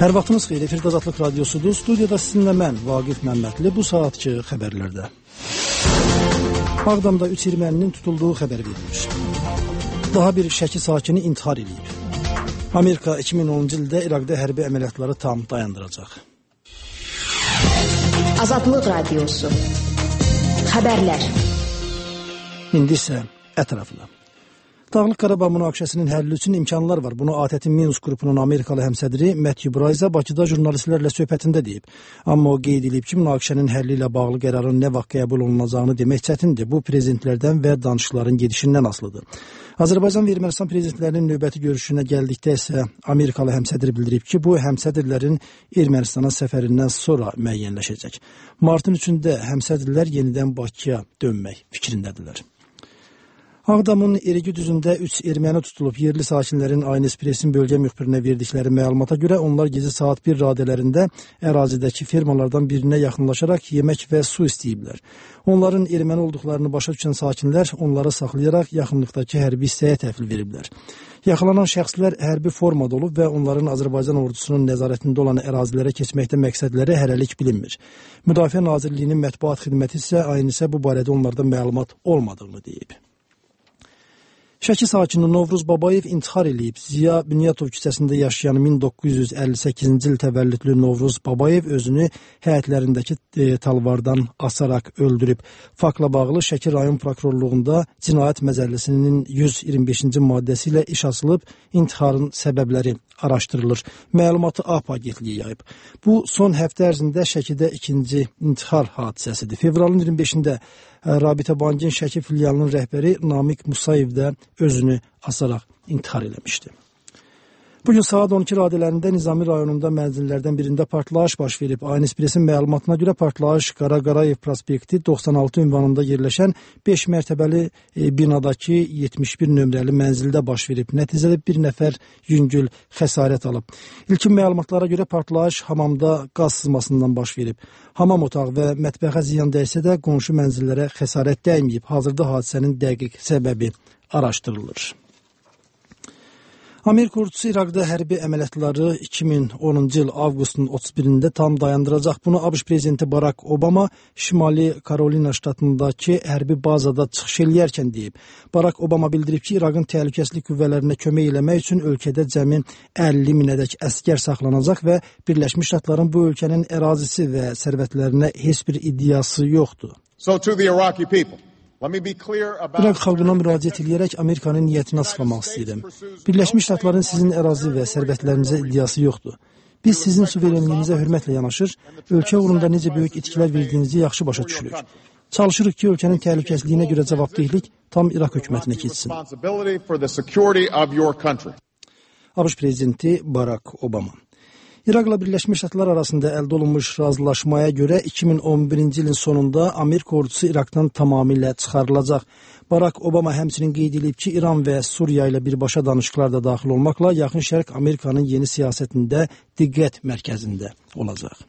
Hər vaxtınız xeyir, efirdə Azadlıq Radiosudur. Studiyada sizinlə mən, Vaqif Məmmədli, bu saatçı xəbərlərdə. Ağdamda 3 erməninin tutulduğu xəbər verilir. Daha bir Şəki sakini intihar edib. Amerika 2010-cu ildə İraqda hərbi əməliyyatları tam dayandıracaq. Azadlıq Radiosu. Xəbərlər. İndi isə ətraflı. Dağlıq Qarabağ münaqişəsinin həlli üçün imkanlar var. Bunu ATƏT-in Minsk qrupunun Amerikalı həmsədri Matthew Braiza Bakıda jurnalistlərlə söhbətində deyib. Amma o qeyd edib ki, münaqişənin həlli ilə bağlı qərarın nə vaxt qəbul olunacağını demək çətindir. Bu prezidentlərdən və danışıqların gedişindən asılıdır. Azərbaycan və Ermənistan prezidentlərinin növbəti görüşünə gəldikdə isə Amerikalı həmsədr bildirib ki, bu həmsədrlərin Ermənistana səfərindən sonra müəyyənləşəcək. Martın 3-də həmsədrlər yenidən Bakıya dönmək fikrindədirlər. Ağdamın Erigi düzündə 3 erməni tutulub. Yerli sakinlərin Aynı Espressin bölgə müxbirinə verdikləri məlumata görə onlar gecə saat 1 radələrində ərazidəki fermalardan birinə yaxınlaşaraq yemək və su istəyiblər. Onların erməni olduqlarını başa düşən sakinlər onları saxlayaraq yaxınlıqdakı hərbi hissəyə təhvil veriblər. Yaxalanan şəxslər hərbi formada olub və onların Azərbaycan ordusunun nəzarətində olan ərazilərə keçməkdə məqsədləri hələlik bilinmir. Müdafiə Nazirliyinin mətbuat xidməti isə Aynisə bu barədə onlardan məlumat olmadığını deyib. Şəki sakini Novruz Babayev intihar edib. Ziya Bünyatov küçəsində yaşayan 1958-ci il təvəllüdlü Novruz Babayev özünü həyətlərindəki talvardan asaraq öldürüb. Faktla bağlı Şəki rayon prokurorluğunda Cinayət Məcəlləsinin 125-ci maddəsi ilə iş açılıb, intiharın səbəbləri araşdırılır. Məlumatı AP agentliyi yayıb. Bu, son həftə ərzində Şəkidə ikinci intihar hadisəsidir. Fevralın 25-də Rabitə Bankın Şəki filialının rəhbəri Namiq Musayev də özünü asaraq intihar eləmişdi. Bugün saat 12 radələrində Nizami rayonunda mənzillərdən birində partlayış baş verib. Aynı Espressin məlumatına görə partlayış Qara Qarayev prospekti 96 ünvanında yerləşən 5 mərtəbəli binadakı 71 nömrəli mənzildə baş verib. Nəticədə bir nəfər yüngül xəsarət alıb. İlkin məlumatlara görə partlayış hamamda qaz sızmasından baş verib. Hamam otağı və mətbəxə ziyan dəysə də qonşu mənzillərə xəsarət dəyməyib. Hazırda hadisənin dəqiq səbəbi araşdırılır. Amerika ordusu İraqda hərbi əməliyyatları 2010-cu il avqustun 31-də tam dayandıracaq. Bunu ABŞ prezidenti Barack Obama Şimali Karolina ştatındakı hərbi bazada çıxış eləyərkən deyib. Barack Obama bildirib ki, İraqın təhlükəsizlik qüvvələrinə kömək eləmək üçün ölkədə cəmi 50 minədək əskər saxlanacaq və Birləşmiş Ştatların bu ölkənin ərazisi və sərvətlərinə heç bir iddiası yoxdur. So to the Iraqi people. İraq xalqına müraciət edərək Amerikanın niyyətini açıqlamaq istəyirəm. Birləşmiş Ştatların sizin ərazi və sərvətlərinizə iddiası yoxdur. Biz sizin suverenliyinizə hörmətlə yanaşır, ölkə uğrunda necə böyük itkilər verdiyinizi yaxşı başa düşürük. Çalışırıq ki, ölkənin təhlükəsizliyinə görə cavabdehlik tam İraq hökumətinə keçsin. ABŞ prezidenti Barack Obama. İraqla Birləşmiş Ştatlar arasında əldə olunmuş razılaşmaya görə 2011-ci ilin sonunda Amerika ordusu İraqdan tamamilə çıxarılacaq. Barack Obama həmçinin qeyd edib ki, İran və Suriya ilə birbaşa danışıqlar da daxil olmaqla Yaxın Şərq Amerikanın yeni siyasətində diqqət mərkəzində olacaq.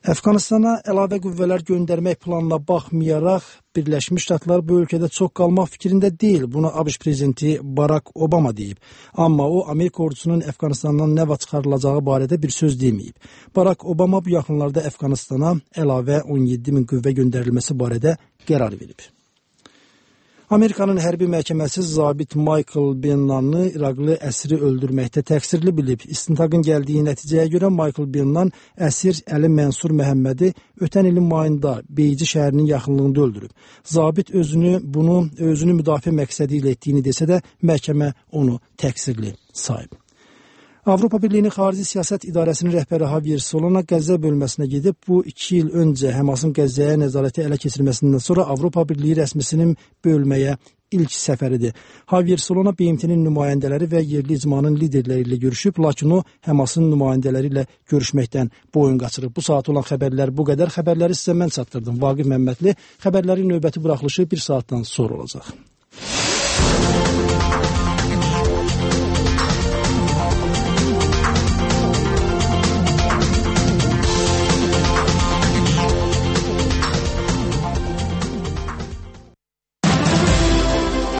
Əfqanistana əlavə qüvvələr göndərmək planına baxmayaraq, Birləşmiş Ştatlar bu ölkədə çox qalmaq fikrində deyil. Bunu ABŞ prezidenti Barack Obama deyib. Amma o, Amerika ordusunun Əfqanistandan nə vaxt çıxarılacağı barədə bir söz deməyib. Barack Obama bu yaxınlarda Əfqanistana əlavə 17 min qüvvə göndərilməsi barədə qərar verib. Amerikanın hərbi məhkəməsi zabit Michael Bennanı İraqlı əsiri öldürməkdə təqsirli bilib. İstintaqın gəldiyi nəticəyə görə Michael Bennan əsir Əli Mənsur Məhəmmədi ötən ilin mayında Beyci şəhərinin yaxınlığında öldürüb. Zabit özünü müdafiə məqsədi ilə etdiyini desə də məhkəmə onu təqsirli sayıb. Avropa Birliyinin Xarici Siyasət İdarəsinin rəhbəri Javier Solana Qəzza bölməsinə gedib. Bu 2 il öncə Həmasın Qəzzaya nəzarəti ələ keçirməsindən sonra Avropa Birliyi rəsmisinin bölməyə ilk səfəridir. Javier Solana BMT-nin nümayəndələri və yerli icmanın liderləri ilə görüşüb, lakin o Həmasın nümayəndələri ilə görüşməkdən boyun qaçırıb. Bu saat olan xəbərlər bu qədər. Xəbərləri sizə mən çatdırdım. Vaqif Məmmədli. Xəbərlərin növbəti buraxılışı 1 saatdan sonra olacaq.